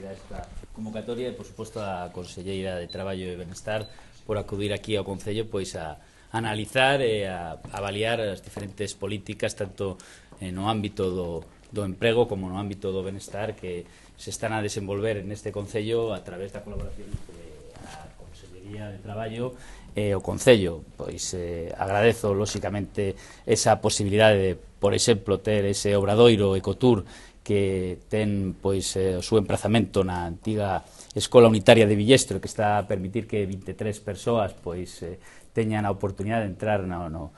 esta convocatoria e, por suposto, a Conselleira de Traballo e Benestar por acudir aquí ao Concello pois a analizar e a avaliar as diferentes políticas tanto no ámbito do emprego como no ámbito do benestar que se están a desenvolver neste Concello a través da colaboración entre a Consellería de Traballo e o Concello. Pois agradezo, lóxicamente, esa posibilidade de, por exemplo, ter ese obradoiro Ecotur que ten pois o seu emprazamento na antiga Escola Unitaria de Villestro, que está a permitir que 23 persoas pois teñan a oportunidade de entrar no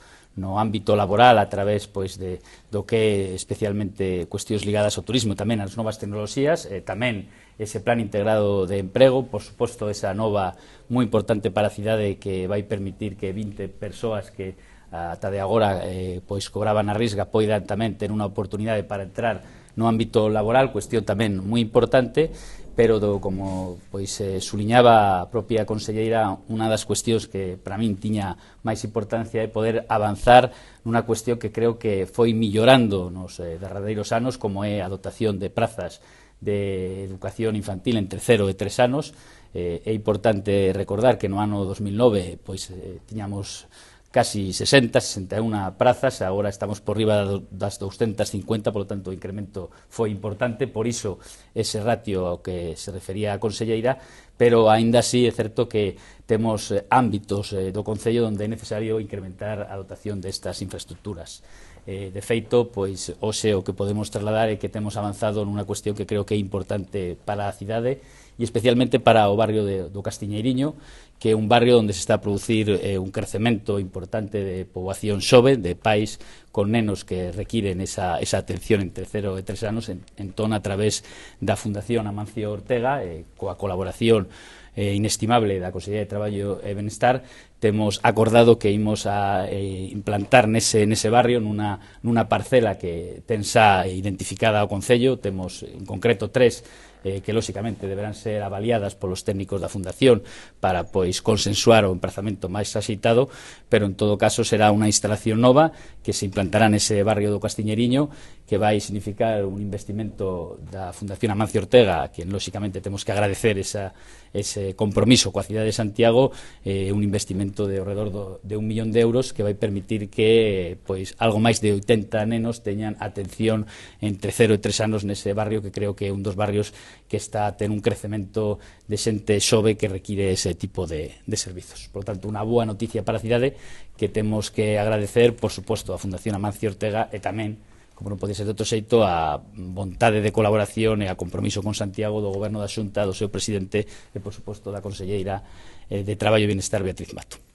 ámbito laboral a través pois do que é especialmente cuestións ligadas ao turismo, tamén ás novas tecnoloxías, tamén ese plan integrado de emprego, por suposto esa nova moi importante para a cidade que vai permitir que 20 persoas que ata de agora pois cobraban a risga poidan tamén ter unha oportunidade para entrar no ámbito laboral, cuestión tamén moi importante, pero como pois suliñaba a propia conselleira, unha das cuestións que para min tiña máis importancia é poder avanzar nunha cuestión que creo que foi millorando nos derradeiros anos, como é a dotación de prazas de educación infantil entre 0 e 3 anos. É importante recordar que no ano 2009 pois tiñamos casi 61 prazas, agora estamos por riba das 250, polo tanto o incremento foi importante, por iso ese ratio ao que se refería a conselleira, pero aínda así é certo que temos ámbitos do Concello onde é necesario incrementar a dotación destas infraestructuras. De feito, pois hoxe o que podemos trasladar é que temos avanzado nunha cuestión que creo que é importante para a cidade e especialmente para o barrio do Castiñeiriño, que é un barrio onde se está a producir un crecemento importante de poboación xove, de pais con nenos que requiren esa atención entre 0 e 3 anos, entón a través da Fundación Amancio Ortega, coa colaboración inestimable da Consellería de Traballo e Benestar, temos acordado que imos a implantar nese barrio nunha parcela que ten xa identificada ao Concello. Temos en concreto 3 que lóxicamente deberán ser avaliadas polos técnicos da Fundación para pois consensuar o emprazamento máis axeitado, pero en todo caso será unha instalación nova que se implantará nese barrio do Castiñeiriño, que vai significar un investimento da Fundación Amancio Ortega, a quien lóxicamente temos que agradecer ese compromiso coa cidade de Santiago, un investimento de ao redor de 1 millón de euros que vai permitir que pois algo máis de 80 nenos teñan atención entre 0 e 3 anos nese barrio, que creo que é un dos barrios que está a ter un crecemento de xente xove que require ese tipo de servizos. Por tanto, unha boa noticia para a cidade que temos que agradecer, por suposto, a Fundación Amancio Ortega e tamén, como non pode ser de outro xeito, a vontade de colaboración e a compromiso con Santiago do Goberno da Xunta, do seu presidente e, por suposto, da Conselleira de Traballo e Benestar, Beatriz Mato.